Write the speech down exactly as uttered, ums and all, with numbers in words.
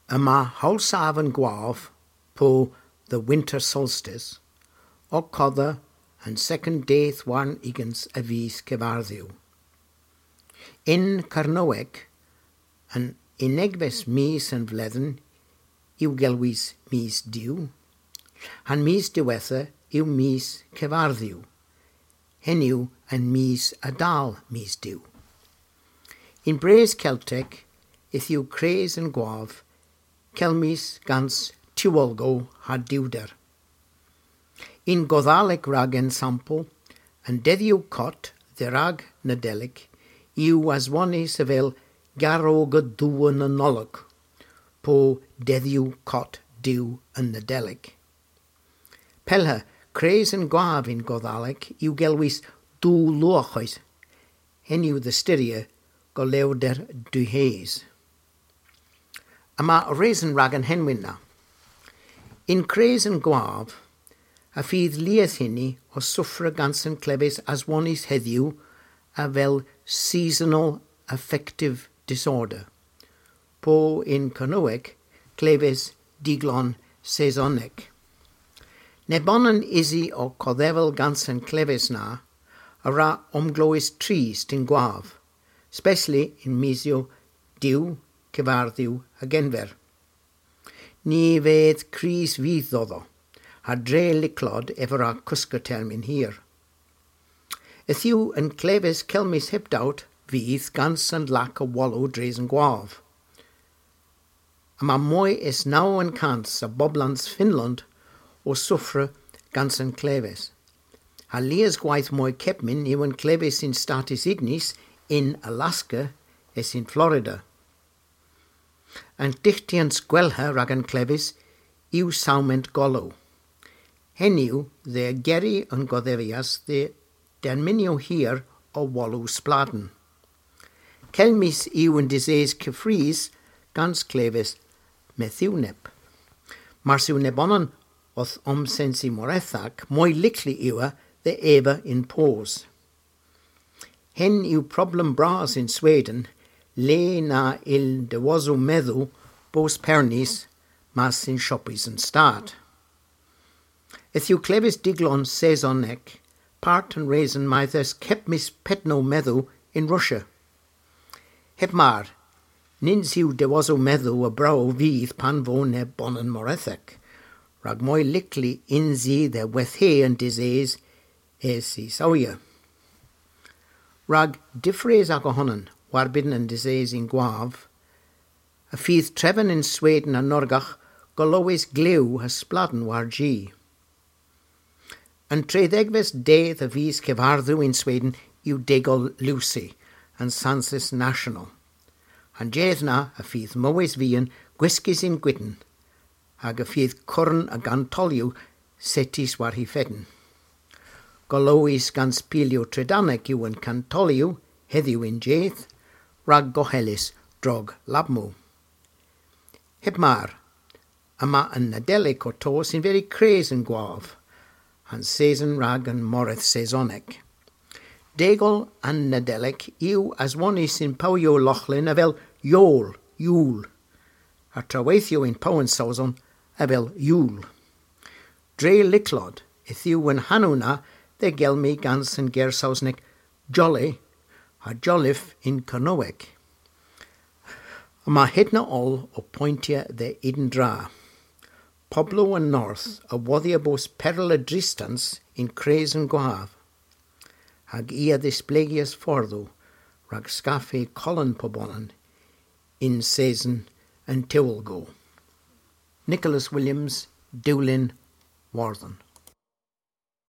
Yma howlsav an gwav, po the winter solstice, ow kodha an sekond dydh warn ugens a vis Kevardhu. Yn Kernowek, an unnegves mis an vledhen yw gelwys mis Du. Ha'n mis diwettha yw mis Kevardhu. Henn yw an mis a dal mis Du. Yn brys Keltek, yth yw kres an gwav, kelmys gans tiwolgow ha diwder. Yn Godhalek rag ensampel, an dedhyow kott dherag Nadelik yw aswonnys avel garow Duw an Nanolok, po dedhyow kott Duw an Nadelik. Pellha, kres an gwav yn Godhalek yw gelwys Duw Lowarghos, henn yw dhe styrya golewder diwhes. Yma reson rag an henwyn na. Yn kres an gwav, y fydh lies huni ow sufra gans an kleves aswonnys hedhyw avel seasonal affective disorder, po yn Kernowek kleves diglon sesonek. Nebonan usi ow kodhevel gans an kleves na a wra omglewes trist yn gwav, spesli yn misyow Du, Kevardhu ha Genver. Ny vydh kriys vyth dhodho, ha dre lycklod ev a wra koska termyn hir. Yth yw an kleves kelmys heb dowt vyth gans an lack a wolow dres an gwav. Yma moy es naw kans a boblans Fynlond ow sufra gans an kleves. Ha lies gwayth moy kepmyn yw an kleves yn Statys Unys, yn Alaska, es yn Florida. An dyghtys gwellha rag an kleves yw sawment golow. Henn yw dhe gerri an godhevias dhe dermynyow hir a wolow spladhen. Kelmys yw an diseys keffrys gans kleves methywnep. Mars yw nebonan owth omsensi morethek, moy lykli yw dhe eva yn poos. Henn yw problem bras yn Sweden, le na yll dewosow medhow bos pernys mas yn shoppys an stat. Yth yw kleves diglon sesonek part an reson mayth eus kepmys pednow medhow yn Russia. Heb mar, nyns yw dewosow medhow a brow vyth pan vo nebonan morethek, rag moy lykli yns i dhe weytha an diseys es y sawya. Rag difri aga honan warbydn an diseys yn gwav, y fydh treven yn Sweden ha Norgagh golowys glew ha spladhen war-ji. An trydhegves dydh a vis Kevardhu yn Sweden yw degol Lucy, an sansys national. An jydh na y fydh mowes vian gwiskys yn gwydn, hag y fydh kurun a gantolyow settys war hy fedn. Golowys gans pilyow trydanek yw an kantolyow hedhyw y'n jydh, rag gohelys drog labmow. Heb mar, yma an Nadelik ow tos yn veri kres an gwav, ha'n seson rag an moreth sesonek. Degol an Nadelik yw aswonnys yn powyow Loghlin avel Yol, Yul, ha traweythyow yn pow an sowson avel Yul. Dre lycklod, yth yw an hanow na dhe gelmi gans an ger Sowsnek jolly ha jolliffe yn Kernowek. Yma hedna oll ow poyntya dhe yntra. Poblow an north a wodhya bos perel a dristans yn kres an gwav, hag i a dhisplegias fordhow rag skaffa kolon pubonan yn seson an tewlgow. Nicholas Williams, Dewlin, Wordhen.